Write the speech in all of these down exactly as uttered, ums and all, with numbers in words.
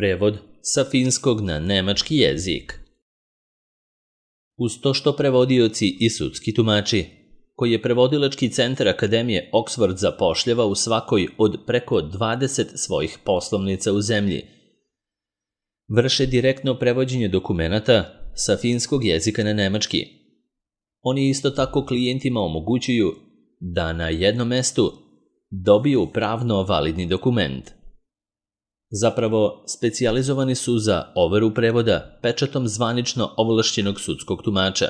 Prevod sa finskog na nemački jezik. Uz to što prevodioci i sudski tumači, koji je prevodilački centar Akademije Oxford zapošljava u svakoj od preko dvadeset svojih poslovnica u zemlji, vrše direktno prevođenje dokumenata sa finskog jezika na nemački. Oni isto tako klijentima omogućuju da na jednom mestu dobiju pravno validni dokument. Zapravo, specijalizovani su za overu prevoda pečatom zvanično ovlašćenog sudskog tumača,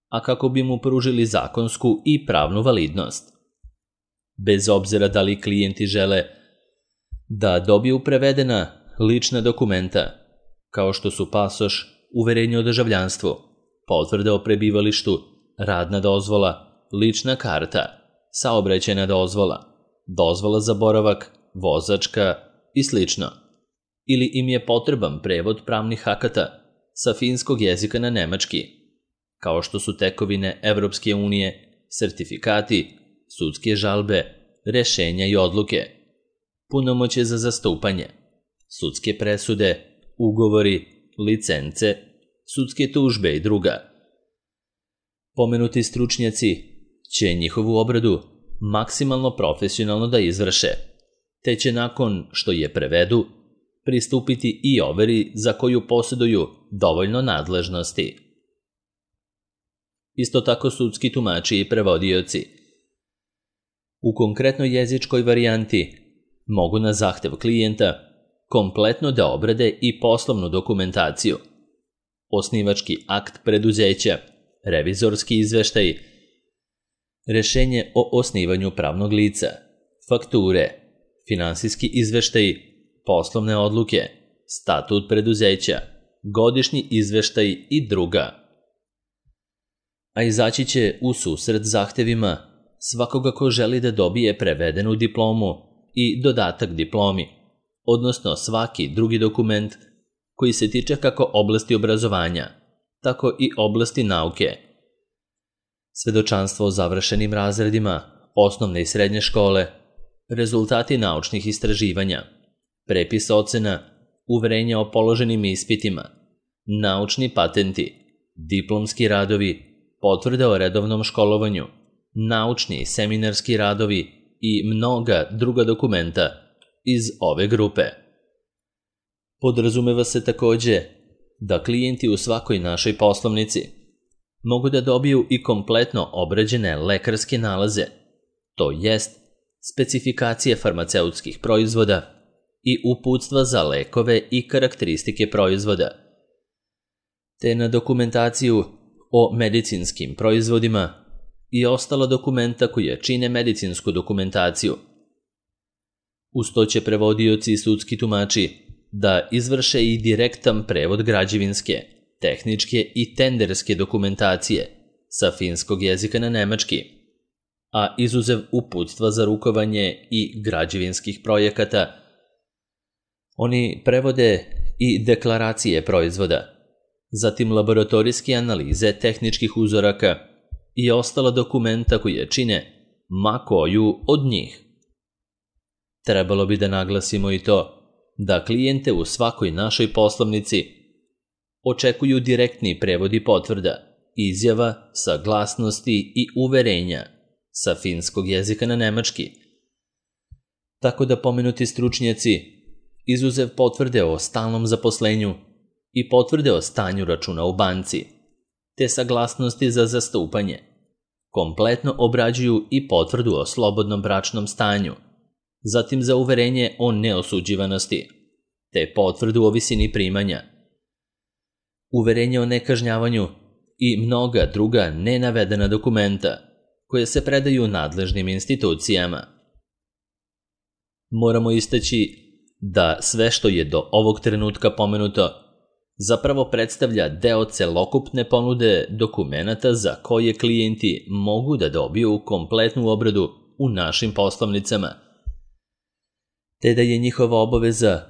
a kako bi mu pružili zakonsku i pravnu validnost. Bez obzira da li klijenti žele da dobiju prevedena lična dokumenta, kao što su pasoš, uverenje o državljanstvu, potvrda o prebivalištu, radna dozvola, lična karta, saobraćajna dozvola, dozvola za boravak, vozačka i slično, ili im je potreban prevod pravnih akata sa finskog jezika na nemački, kao što su tekovine Evropske unije, sertifikati, sudske žalbe, rešenja i odluke, punomoćje za zastupanje, sudske presude, ugovori, licence, sudske tužbe i druga. Pomenuti stručnjaci će njihovu obradu maksimalno profesionalno da izvrše, te će nakon što je prevedu pristupiti i overi za koju posjeduju dovoljno nadležnosti. Isto tako sudski tumači i prevodioci u konkretnoj jezičkoj varijanti mogu na zahtev klijenta kompletno da obrade i poslovnu dokumentaciju, osnivački akt preduzeća, revizorski izveštaj, rešenje o osnivanju pravnog lica, fakture, finansijski izveštaj, poslovne odluke, statut preduzeća, godišnji izveštaj i druga. A izaći će u susret zahtevima svakoga ko želi da dobije prevedenu diplomu i dodatak diplomi, odnosno svaki drugi dokument koji se tiče kako oblasti obrazovanja, tako i oblasti nauke. Svedočanstvo o završenim razredima osnovne i srednje škole, rezultati naučnih istraživanja, prepis ocena, uverenja o položenim ispitima, naučni patenti, diplomski radovi, potvrde o redovnom školovanju, naučni i seminarski radovi i mnoga druga dokumenta iz ove grupe. Podrazumeva se takođe da klijenti u svakoj našoj poslovnici mogu da dobiju i kompletno obrađene lekarske nalaze, to jest specifikacije farmaceutskih proizvoda i uputstva za lekove i karakteristike proizvoda, te na dokumentaciju o medicinskim proizvodima i ostala dokumenta koja čine medicinsku dokumentaciju. Uz to će prevodioci i sudski tumači da izvrše i direktan prevod građevinske, tehničke i tenderske dokumentacije sa finskog jezika na nemački, a izuzev uputstva za rukovanje i građevinskih projekata, oni prevode i deklaracije proizvoda, zatim laboratorijske analize tehničkih uzoraka i ostala dokumenta koje čine ma koju od njih. Trebalo bi da naglasimo i to da klijente u svakoj našoj poslovnici očekuju direktni prevodi potvrda, izjava, saglasnosti i uverenja sa finskog jezika na nemački. Tako da pomenuti stručnjaci, izuzev potvrde o stalnom zaposlenju i potvrde o stanju računa u banci, te saglasnosti za zastupanje, kompletno obrađuju i potvrdu o slobodnom bračnom stanju, zatim za uverenje o neosuđivanosti, te potvrdu o visini primanja, uverenje o nekažnjavanju i mnoga druga nenavedena dokumenta koje se predaju nadležnim institucijama. Moramo istaći da sve što je do ovog trenutka pomenuto zapravo predstavlja deo celokupne ponude dokumenata za koje klijenti mogu da dobiju kompletnu obradu u našim poslovnicama, te da je njihova obaveza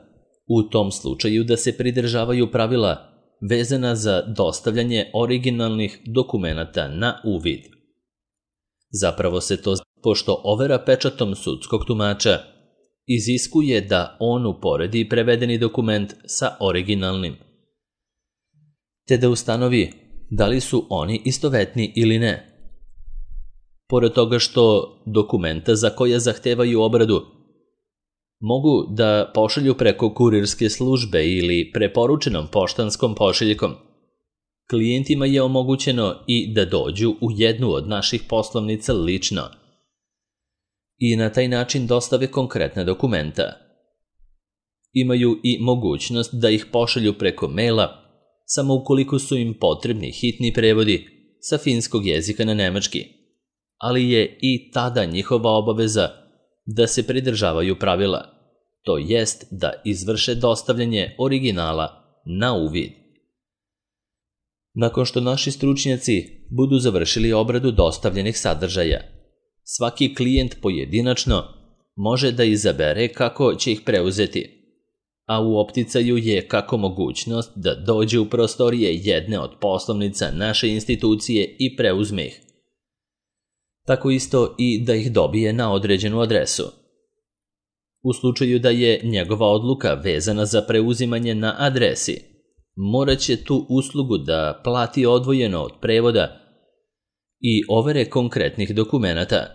u tom slučaju da se pridržavaju pravila vezana za dostavljanje originalnih dokumenata na uvid. Zapravo se to, pošto overa pečatom sudskog tumača iziskuje da on uporedi prevedeni dokument sa originalnim, te da ustanovi da li su oni istovetni ili ne. Pored toga što dokumenta za koja zahtevaju obradu mogu da pošalju preko kurirske službe ili preporučenom poštanskom pošiljkom, klijentima je omogućeno i da dođu u jednu od naših poslovnica lično i na taj način dostave konkretne dokumenta. Imaju i mogućnost da ih pošalju preko maila samo ukoliko su im potrebni hitni prevodi sa finskog jezika na nemački, ali je i tada njihova obaveza da se pridržavaju pravila, to jest da izvrše dostavljanje originala na uvid. Nakon što naši stručnjaci budu završili obradu dostavljenih sadržaja, svaki klijent pojedinačno može da izabere kako će ih preuzeti, a u opticaju je kako mogućnost da dođe u prostorije jedne od poslovnica naše institucije i preuzme ih, tako isto i da ih dobije na određenu adresu. U slučaju da je njegova odluka vezana za preuzimanje na adresi, morat će tu uslugu da plati odvojeno od prevoda i overe konkretnih dokumenata.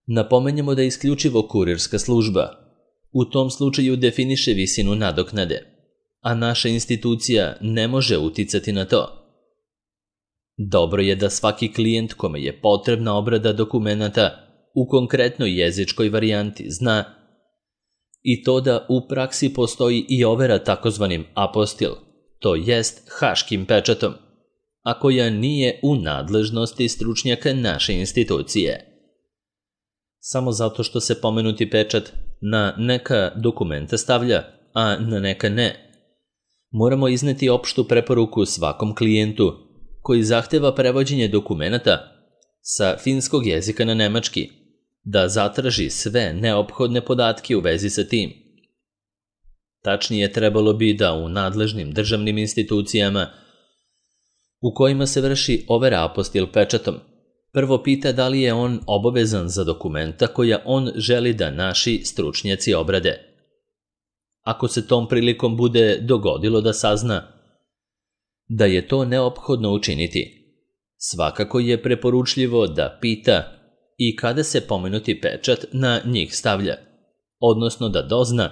Napomenjemo da isključivo kurirska služba u tom slučaju definiše visinu nadoknade, a naša institucija ne može uticati na to. Dobro je da svaki klijent kome je potrebna obrada dokumenata u konkretnoj jezičkoj varijanti zna i to da u praksi postoji i overa takozvanim apostil, to jest haškim pečatom, a koja nije u nadležnosti stručnjaka naše institucije. Samo zato što se pomenuti pečat na neka dokumenta stavlja, a na neka ne, moramo izneti opštu preporuku svakom klijentu koji zahteva prevođenje dokumenata sa finskog jezika na nemački, da zatraži sve neophodne podatke u vezi sa tim. Tačnije, trebalo bi da u nadležnim državnim institucijama u kojima se vrši overa apostil pečatom prvo pita da li je on obavezan za dokumenta koja on želi da naši stručnjaci obrade. Ako se tom prilikom bude dogodilo da sazna da je to neophodno učiniti, svakako je preporučljivo da pita i kada se pomenuti pečat na njih stavlja, odnosno da dozna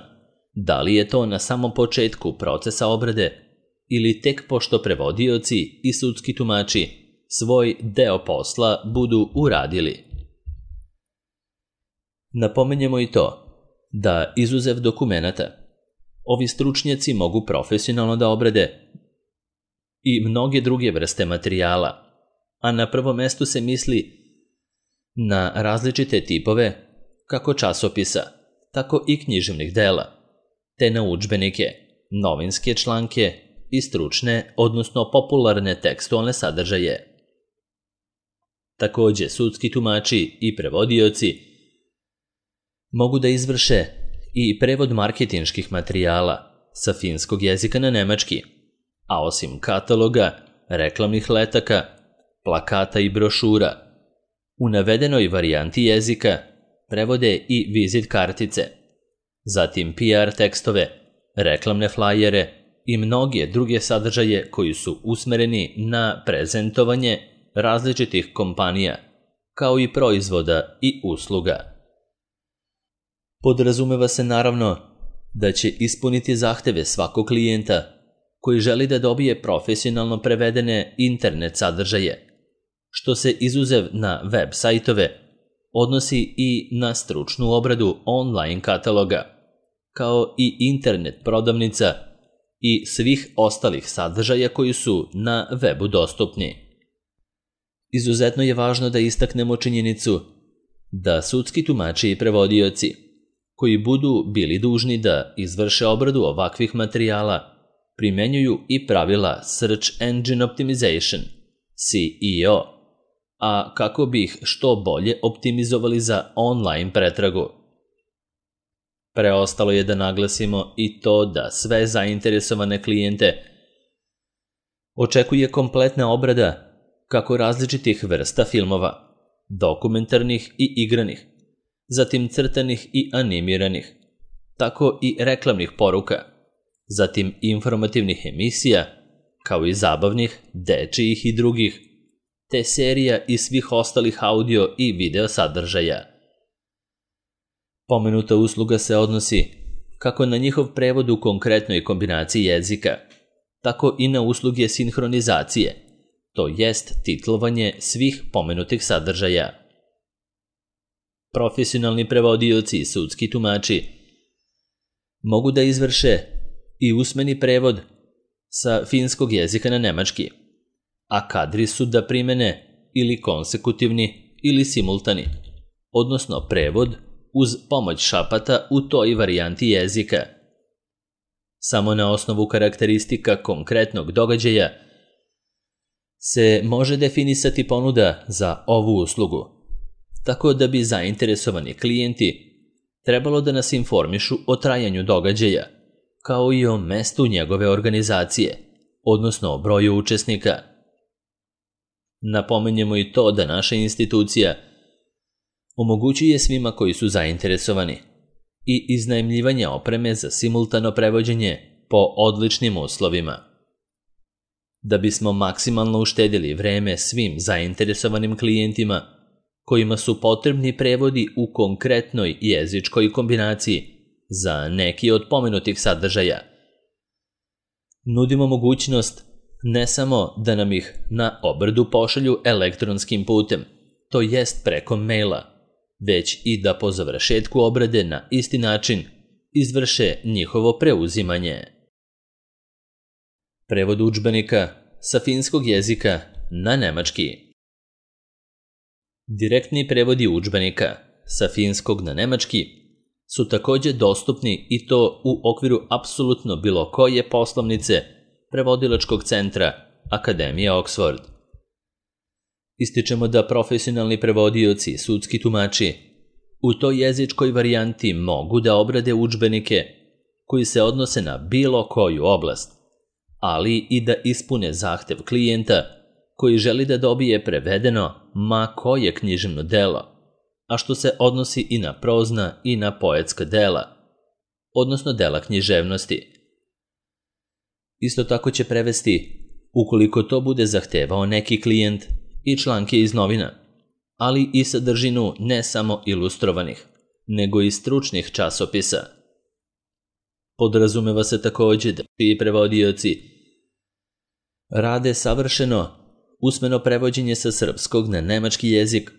da li je to na samom početku procesa obrade ili tek pošto prevodioci i sudski tumači svoj deo posla budu uradili. Napomenjemo i to da izuzev dokumenata, ovi stručnjaci mogu profesionalno da obrade i mnoge druge vrste materijala, a na prvom mestu se misli na različite tipove kako časopisa, tako i književnih dela, te na udžbenike, novinske članke i stručne, odnosno popularne tekstualne sadržaje. Takođe, sudski tumači i prevodioci mogu da izvrše i prevod marketinških materijala sa finskog jezika na nemački, a osim kataloga, reklamnih letaka, plakata i brošura, u navedenoj varijanti jezika prevode i vizit kartice, zatim P R tekstove, reklamne flajere i mnoge druge sadržaje koji su usmereni na prezentovanje različitih kompanija, kao i proizvoda i usluga. Podrazumeva se naravno da će ispuniti zahteve svakog klijenta koji želi da dobije profesionalno prevedene internet sadržaje, što se izuzev na web sajtove odnosi i na stručnu obradu online kataloga, kao i internet prodavnica i svih ostalih sadržaja koji su na webu dostupni. Izuzetno je važno da istaknemo činjenicu da sudski tumači i prevodioci koji budu bili dužni da izvrše obradu ovakvih materijala primenjuju i pravila Search Engine Optimization, S E O, a kako bi ih što bolje optimizovali za online pretragu. Preostalo je da naglasimo i to da sve zainteresovane klijente očekuje kompletna obrada kako različitih vrsta filmova, dokumentarnih i igranih, zatim crtanih i animiranih, tako i reklamnih poruka, zatim informativnih emisija, kao i zabavnih, dečijih i drugih, te serija i svih ostalih audio i video sadržaja. Pomenuta usluga se odnosi kako na njihov prevod u konkretnoj kombinaciji jezika, tako i na usluge sinhronizacije, to jest titlovanje svih pomenutih sadržaja. Profesionalni prevodioci i sudski tumači mogu da izvrše i usmeni prevod sa finskog jezika na nemački, a kadri su da primene ili konsekutivni ili simultani, odnosno prevod uz pomoć šapata u toj varijanti jezika. Samo na osnovu karakteristika konkretnog događaja se može definisati ponuda za ovu uslugu, tako da bi zainteresovani klijenti trebalo da nas informišu o trajanju događaja, kao i o mestu njegove organizacije, odnosno o broju učesnika. Napomenjemo i to da naša institucija omogućuje svima koji su zainteresovani i iznajmljivanje opreme za simultano prevođenje po odličnim uslovima. Da bismo maksimalno uštedili vreme svim zainteresovanim klijentima kojima su potrebni prevodi u konkretnoj jezičkoj kombinaciji za neki od pomenutih sadržaja, nudimo mogućnost ne samo da nam ih na obradu pošalju elektronskim putem, to jest preko maila, već i da po završetku obrade na isti način izvrše njihovo preuzimanje. Prevod udžbenika sa finskog jezika na nemački. Direktni prevodi udžbenika sa finskog na nemački su također dostupni i to u okviru apsolutno bilo koje poslovnice prevodilačkog centra Akademije Oxford. Ističemo da profesionalni prevodioci i sudski tumači u toj jezičkoj varijanti mogu da obrade udžbenike koji se odnose na bilo koju oblast, ali i da ispune zahtev klijenta koji želi da dobije prevedeno ma koje književno delo, a što se odnosi i na prozna i na poetska dela, odnosno dela književnosti. Isto tako će prevesti, ukoliko to bude zahtevao neki klijent, i članke iz novina, ali i sadržinu ne samo ilustrovanih, nego i stručnih časopisa. Podrazumeva se također da čiji prevodioci rade savršeno usmeno prevođenje sa srpskog na nemački jezik,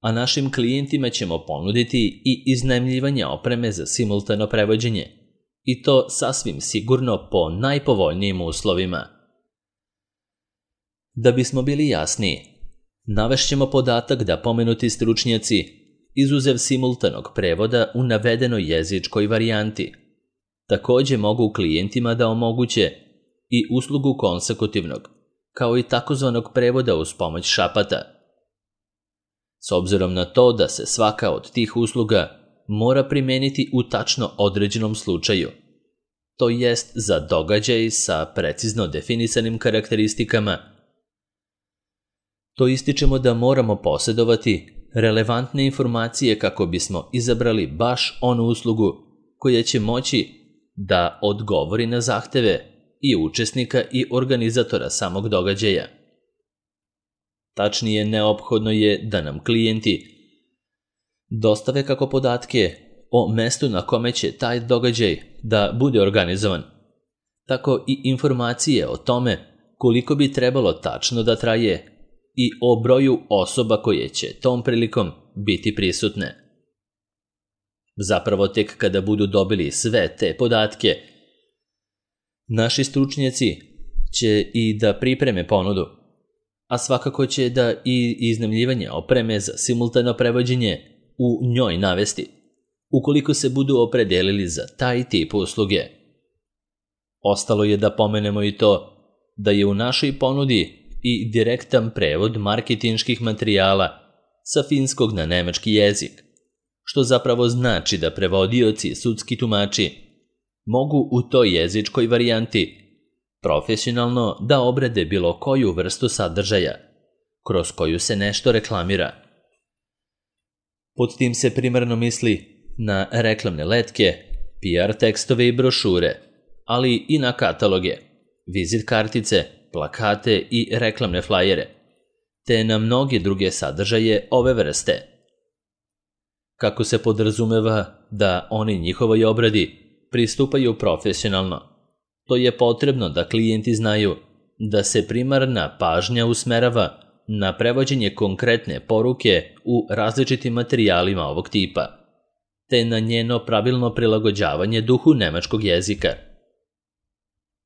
a našim klijentima ćemo ponuditi i iznajmljivanje opreme za simultano prevođenje, i to sasvim sigurno po najpovoljnijim uslovima. Da bismo bili jasniji, navešćemo podatak da pomenuti stručnjaci, izuzev simultanog prevoda u navedenoj jezičkoj varijanti, također mogu klijentima da omoguće i uslugu konsekutivnog, kao i takozvanog prevoda uz pomoć šapata. S obzirom na to da se svaka od tih usluga mora primeniti u tačno određenom slučaju, to jest za događaj sa precizno definisanim karakteristikama, to ističemo da moramo posjedovati relevantne informacije kako bismo izabrali baš onu uslugu koja će moći da odgovori na zahteve i učesnika i organizatora samog događaja. Tačnije, neophodno je da nam klijenti dostave kako podatke o mestu na kome će taj događaj da bude organizovan, tako i informacije o tome koliko bi trebalo tačno da traje i o broju osoba koje će tom prilikom biti prisutne. Zapravo tek kada budu dobili sve te podatke, naši stručnjaci će i da pripreme ponudu, a svakako će da i iznajmljivanje opreme za simultano prevođenje u njoj navesti, ukoliko se budu opredelili za taj tip usluge. Ostalo je da pomenemo i to da je u našoj ponudi i direktan prevod marketinških materijala sa finskog na nemački jezik, što zapravo znači da prevodioci i sudski tumači mogu u toj jezičkoj varijanti profesionalno da obrade bilo koju vrstu sadržaja, kroz koju se nešto reklamira. Pod tim se primarno misli na reklamne letke, P R tekstove i brošure, ali i na kataloge, vizit kartice, plakate i reklamne flajere, te na mnoge druge sadržaje ove vrste. Kako se podrazumeva da oni njihovoj obradi pristupaju profesionalno, to je potrebno da klijenti znaju da se primarna pažnja usmerava na prevođenje konkretne poruke u različitim materijalima ovog tipa, te na njeno pravilno prilagođavanje duhu nemačkog jezika.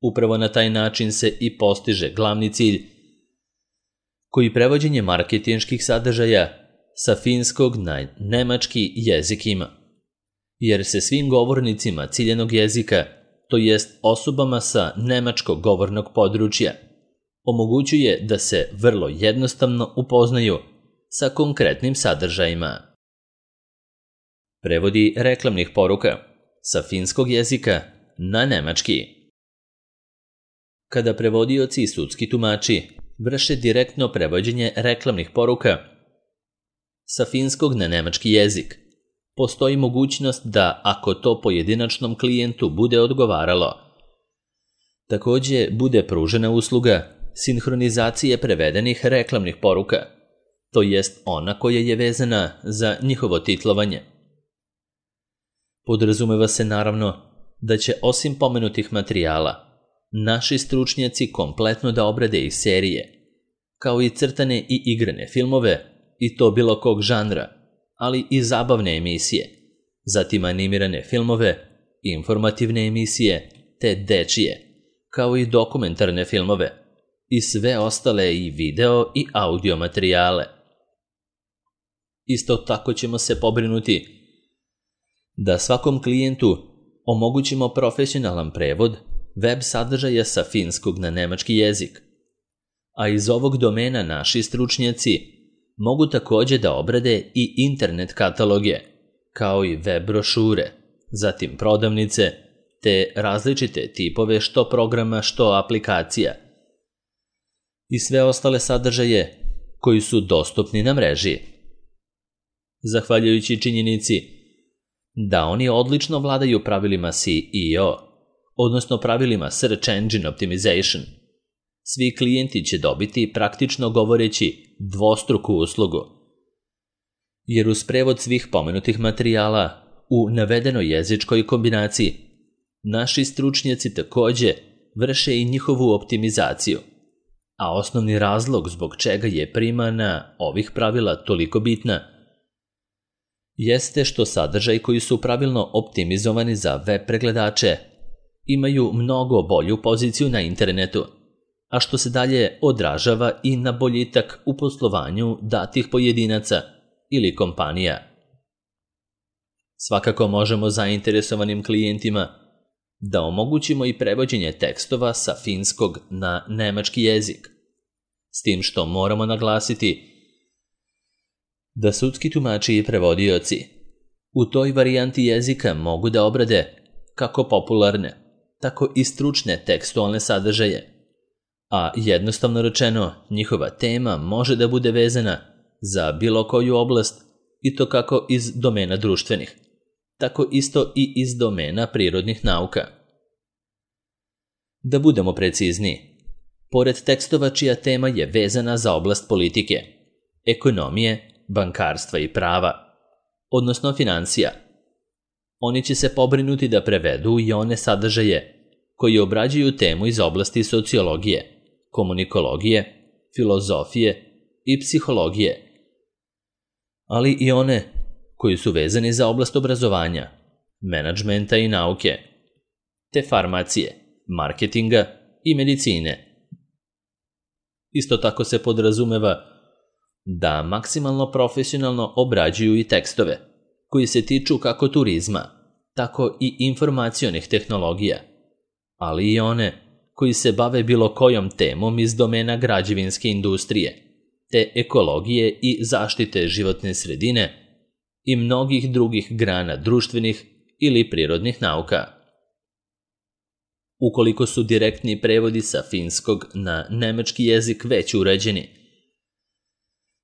Upravo na taj način se i postiže glavni cilj, koji prevođenje marketinških sadržaja sa finskog na nemački jezik ima, jer se svim govornicima ciljanog jezika, to jest osobama sa nemačkog govornog područja, omogućuje da se vrlo jednostavno upoznaju sa konkretnim sadržajima. Prevodi reklamnih poruka sa finskog jezika na nemački. Kada prevodioci i sudski tumači vrše direktno prevođenje reklamnih poruka sa finskog na nemački jezik, postoji mogućnost da, ako to pojedinačnom klijentu bude odgovaralo, takođe bude pružena usluga sinhronizacije prevedenih reklamnih poruka, to jest ona koja je vezana za njihovo titlovanje. Podrazumeva se naravno da će osim pomenutih materijala naši stručnjaci kompletno da obrade i serije, kao i crtane i igrane filmove, i to bilo kog žanra, ali i zabavne emisije, zatim animirane filmove, informativne emisije, te dečije, kao i dokumentarne filmove, i sve ostale i video i audio materijale. Isto tako ćemo se pobrinuti da svakom klijentu omogućimo profesionalan prevod web sadržaja sa finskog na nemački jezik, a iz ovog domena naši stručnjaci mogu takođe da obrade i internet kataloge, kao i web brošure, zatim prodavnice, te različite tipove što programa, što aplikacija i sve ostale sadržaje koji su dostupni na mreži. Zahvaljujući činjenici da oni odlično vladaju pravilima S E O, odnosno pravilima Search Engine Optimization, svi klijenti će dobiti, praktično govoreći, dvostruku uslugu, jer uz prevod svih pomenutih materijala u navedenoj jezičkoj kombinaciji naši stručnjaci takođe vrše i njihovu optimizaciju, a osnovni razlog zbog čega je primana ovih pravila toliko bitna jeste što sadržaj koji su pravilno optimizovani za web pregledače imaju mnogo bolju poziciju na internetu, a što se dalje odražava i na boljitak u poslovanju datih pojedinaca ili kompanija. Svakako možemo zainteresovanim klijentima da omogućimo i prevođenje tekstova sa finskog na nemački jezik, s tim što moramo naglasiti da sudski tumači i prevodioci u toj varijanti jezika mogu da obrade kako popularne, tako i stručne tekstualne sadržaje, a jednostavno rečeno njihova tema može da bude vezana za bilo koju oblast, i to kako iz domena društvenih, tako isto i iz domena prirodnih nauka. Da budemo precizniji, pored tekstova čija tema je vezana za oblast politike, ekonomije, bankarstva i prava, odnosno financija, oni će se pobrinuti da prevedu i one sadržaje koji obrađuju temu iz oblasti sociologije, komunikologije, filozofije i psihologije, ali i one koji su vezani za oblast obrazovanja, menadžmenta i nauke, te farmacije, marketinga i medicine. Isto tako se podrazumeva da maksimalno profesionalno obrađuju i tekstove koji se tiču kako turizma, tako i informacionih tehnologija, ali i one koji se bave bilo kojom temom iz domena građevinske industrije, te ekologije i zaštite životne sredine i mnogih drugih grana društvenih ili prirodnih nauka. Ukoliko su direktni prevodi sa finskog na nemački jezik već uređeni,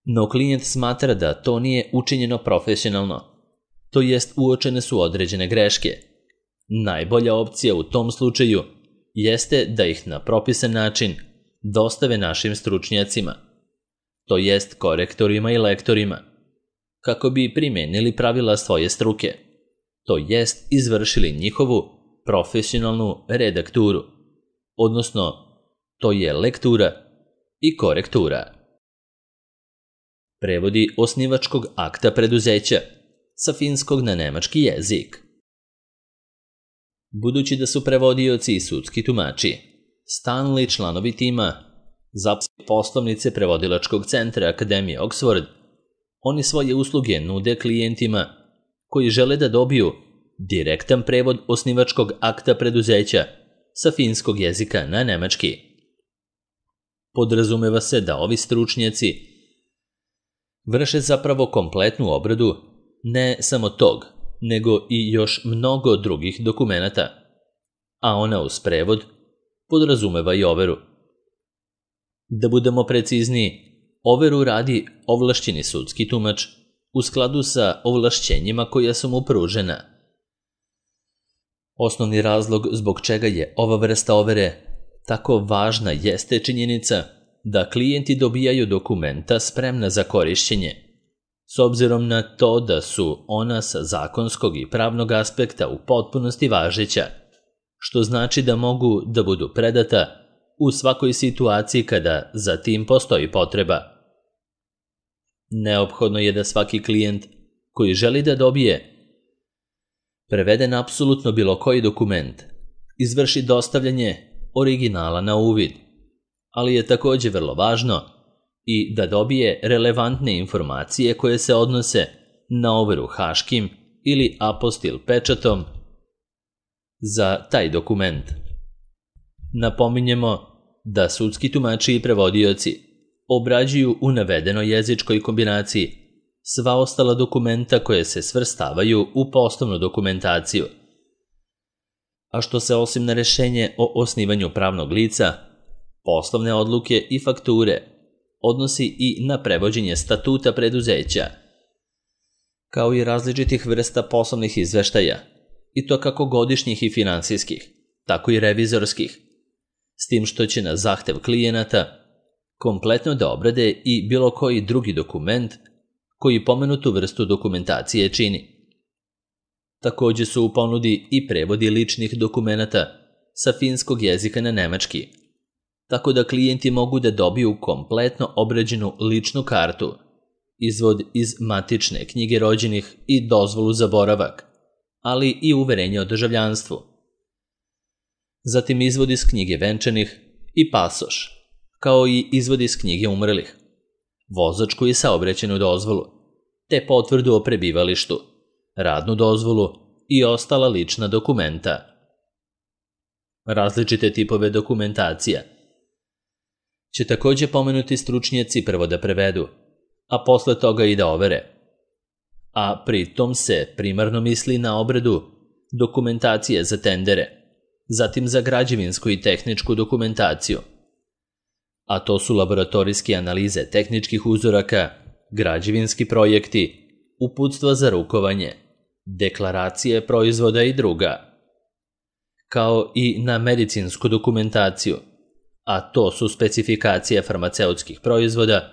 No klijent smatra da to nije učinjeno profesionalno, to jest uočene su određene greške. Najbolja opcija u tom slučaju jeste da ih na propisan način dostave našim stručnjacima, to jest korektorima i lektorima, kako bi primenili pravila svoje struke, to jest izvršili njihovu profesionalnu redakturu, odnosno to je lektura i korektura. Prevodi osnivačkog akta preduzeća sa finskog na nemački jezik. Budući da su prevodioci i sudski tumači stalni članovi tima ZAPS poslovnice prevodilačkog centra Akademije Oxford, oni svoje usluge nude klijentima koji žele da dobiju direktan prevod osnivačkog akta preduzeća sa finskog jezika na nemački. Podrazumeva se da ovi stručnjaci vrše zapravo kompletnu obradu ne samo tog, nego i još mnogo drugih dokumenata, a ona uz prevod podrazumeva i overu. Da budemo precizniji, overu radi ovlašćeni sudski tumač u skladu sa ovlašćenjima koja su mu pružena. Osnovni razlog zbog čega je ova vrsta overe tako važna jeste činjenica da klijenti dobijaju dokumenta spremna za korišćenje, s obzirom na to da su ona sa zakonskog i pravnog aspekta u potpunosti važeća, što znači da mogu da budu predata u svakoj situaciji kada za tim postoji potreba. Neophodno je da svaki klijent koji želi da dobije preveden apsolutno bilo koji dokument izvrši dostavljanje originala na uvid, ali je također vrlo važno i da dobije relevantne informacije koje se odnose na overu haškim ili apostil pečatom za taj dokument. Napominjemo da sudski tumači i prevodioci obrađuju u navedenoj jezičkoj kombinaciji sva ostala dokumenta koje se svrstavaju u poslovnu dokumentaciju. A što se osim na rešenje o osnivanju pravnog lica, poslovne odluke i fakture odnosi i na prevođenje statuta preduzeća, kao i različitih vrsta poslovnih izveštaja, i to kako godišnjih i finansijskih, tako i revizorskih, s tim što će na zahtev klijenata kompletno da obrade i bilo koji drugi dokument koji pomenutu vrstu dokumentacije čini. Također su u ponudi i prevodi ličnih dokumenata sa finskog jezika na nemački, tako da klijenti mogu da dobiju kompletno obrađenu ličnu kartu, izvod iz matične knjige rođenih i dozvolu za boravak, ali i uverenje o državljanstvu. Zatim izvod iz knjige venčanih i pasoš, kao i izvod iz knjige umrlih, vozačku i saobraćajnu dozvolu, te potvrdu o prebivalištu, radnu dozvolu i ostala lična dokumenta. Različite tipove dokumentacija će također pomenuti stručnjaci prvo da prevedu, a posle toga i da overe. A pritom se primarno misli na obradu dokumentacije za tendere, zatim za građevinsku i tehničku dokumentaciju, a to su laboratorijske analize tehničkih uzoraka, građevinski projekti, uputstva za rukovanje, deklaracije proizvoda i druga, kao i na medicinsku dokumentaciju, a to su specifikacije farmaceutskih proizvoda,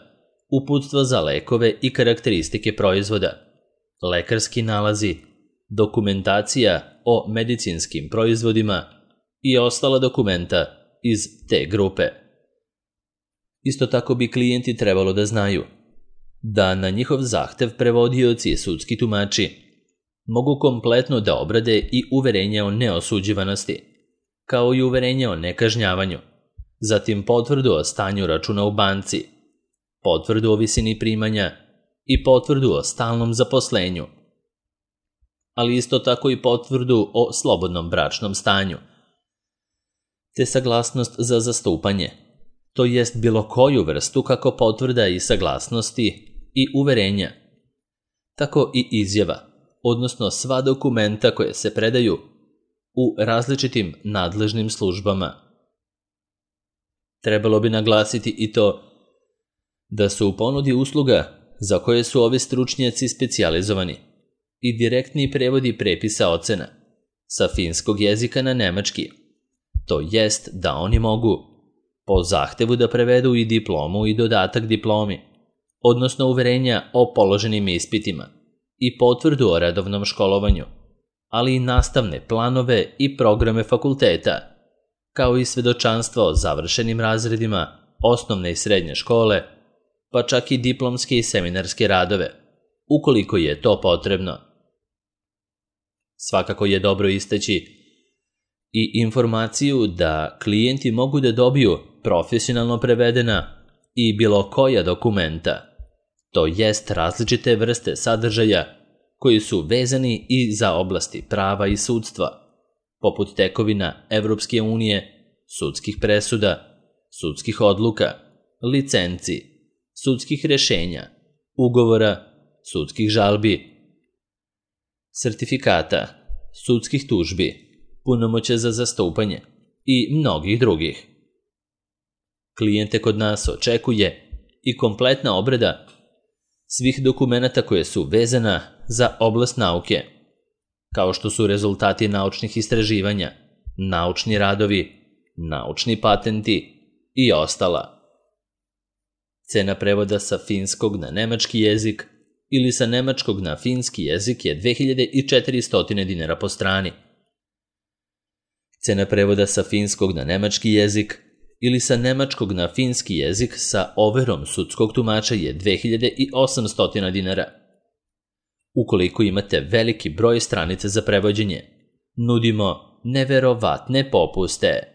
uputstva za lekove i karakteristike proizvoda, lekarski nalazi, dokumentacija o medicinskim proizvodima i ostala dokumenta iz te grupe. Isto tako bi klijenti trebalo da znaju da na njihov zahtev prevodioci i sudski tumači mogu kompletno da obrade i uverenje o neosuđivanosti, kao i uverenje o nekažnjavanju, zatim potvrdu o stanju računa u banci, potvrdu o visini primanja i potvrdu o stalnom zaposlenju, ali isto tako i potvrdu o slobodnom bračnom stanju, te saglasnost za zastupanje, to jest bilo koju vrstu kako potvrda i saglasnosti i uverenja, tako i izjava, odnosno sva dokumenta koje se predaju u različitim nadležnim službama. Trebalo bi naglasiti i to Da su u ponudi usluga za koje su ovi stručnjaci specijalizovani i direktni prevodi prepisa ocena sa finskog jezika na nemački, to jest da oni mogu po zahtevu da prevedu i diplomu i dodatak diplomi, odnosno uverenja o položenim ispitima i potvrdu o redovnom školovanju, ali i nastavne planove i programe fakulteta, kao i svedočanstvo o završenim razredima osnovne i srednje škole, pa čak i diplomske i seminarske radove, ukoliko je to potrebno. Svakako je dobro istaći i informaciju da klijenti mogu da dobiju profesionalno prevedena i bilo koja dokumenta, to jest različite vrste sadržaja koji su vezani i za oblasti prava i sudstva, poput tekovina Evropske unije, sudskih presuda, sudskih odluka, licenci, sudskih rešenja, ugovora, sudskih žalbi, sertifikata, sudskih tužbi, punomoćja za zastupanje i mnogih drugih. Klijente kod nas očekuje i kompletna obrada svih dokumenata koje su vezana za oblast nauke, kao što su rezultati naučnih istraživanja, naučni radovi, naučni patenti i ostala. Cena prevoda sa finskog na nemački jezik ili sa nemačkog na finski jezik je dve hiljade četiristo dinara po strani. Cena prevoda sa finskog na nemački jezik ili sa nemačkog na finski jezik sa overom sudskog tumača je dve hiljade osamsto dinara. Ukoliko imate veliki broj stranica za prevođenje, nudimo neverovatne popuste.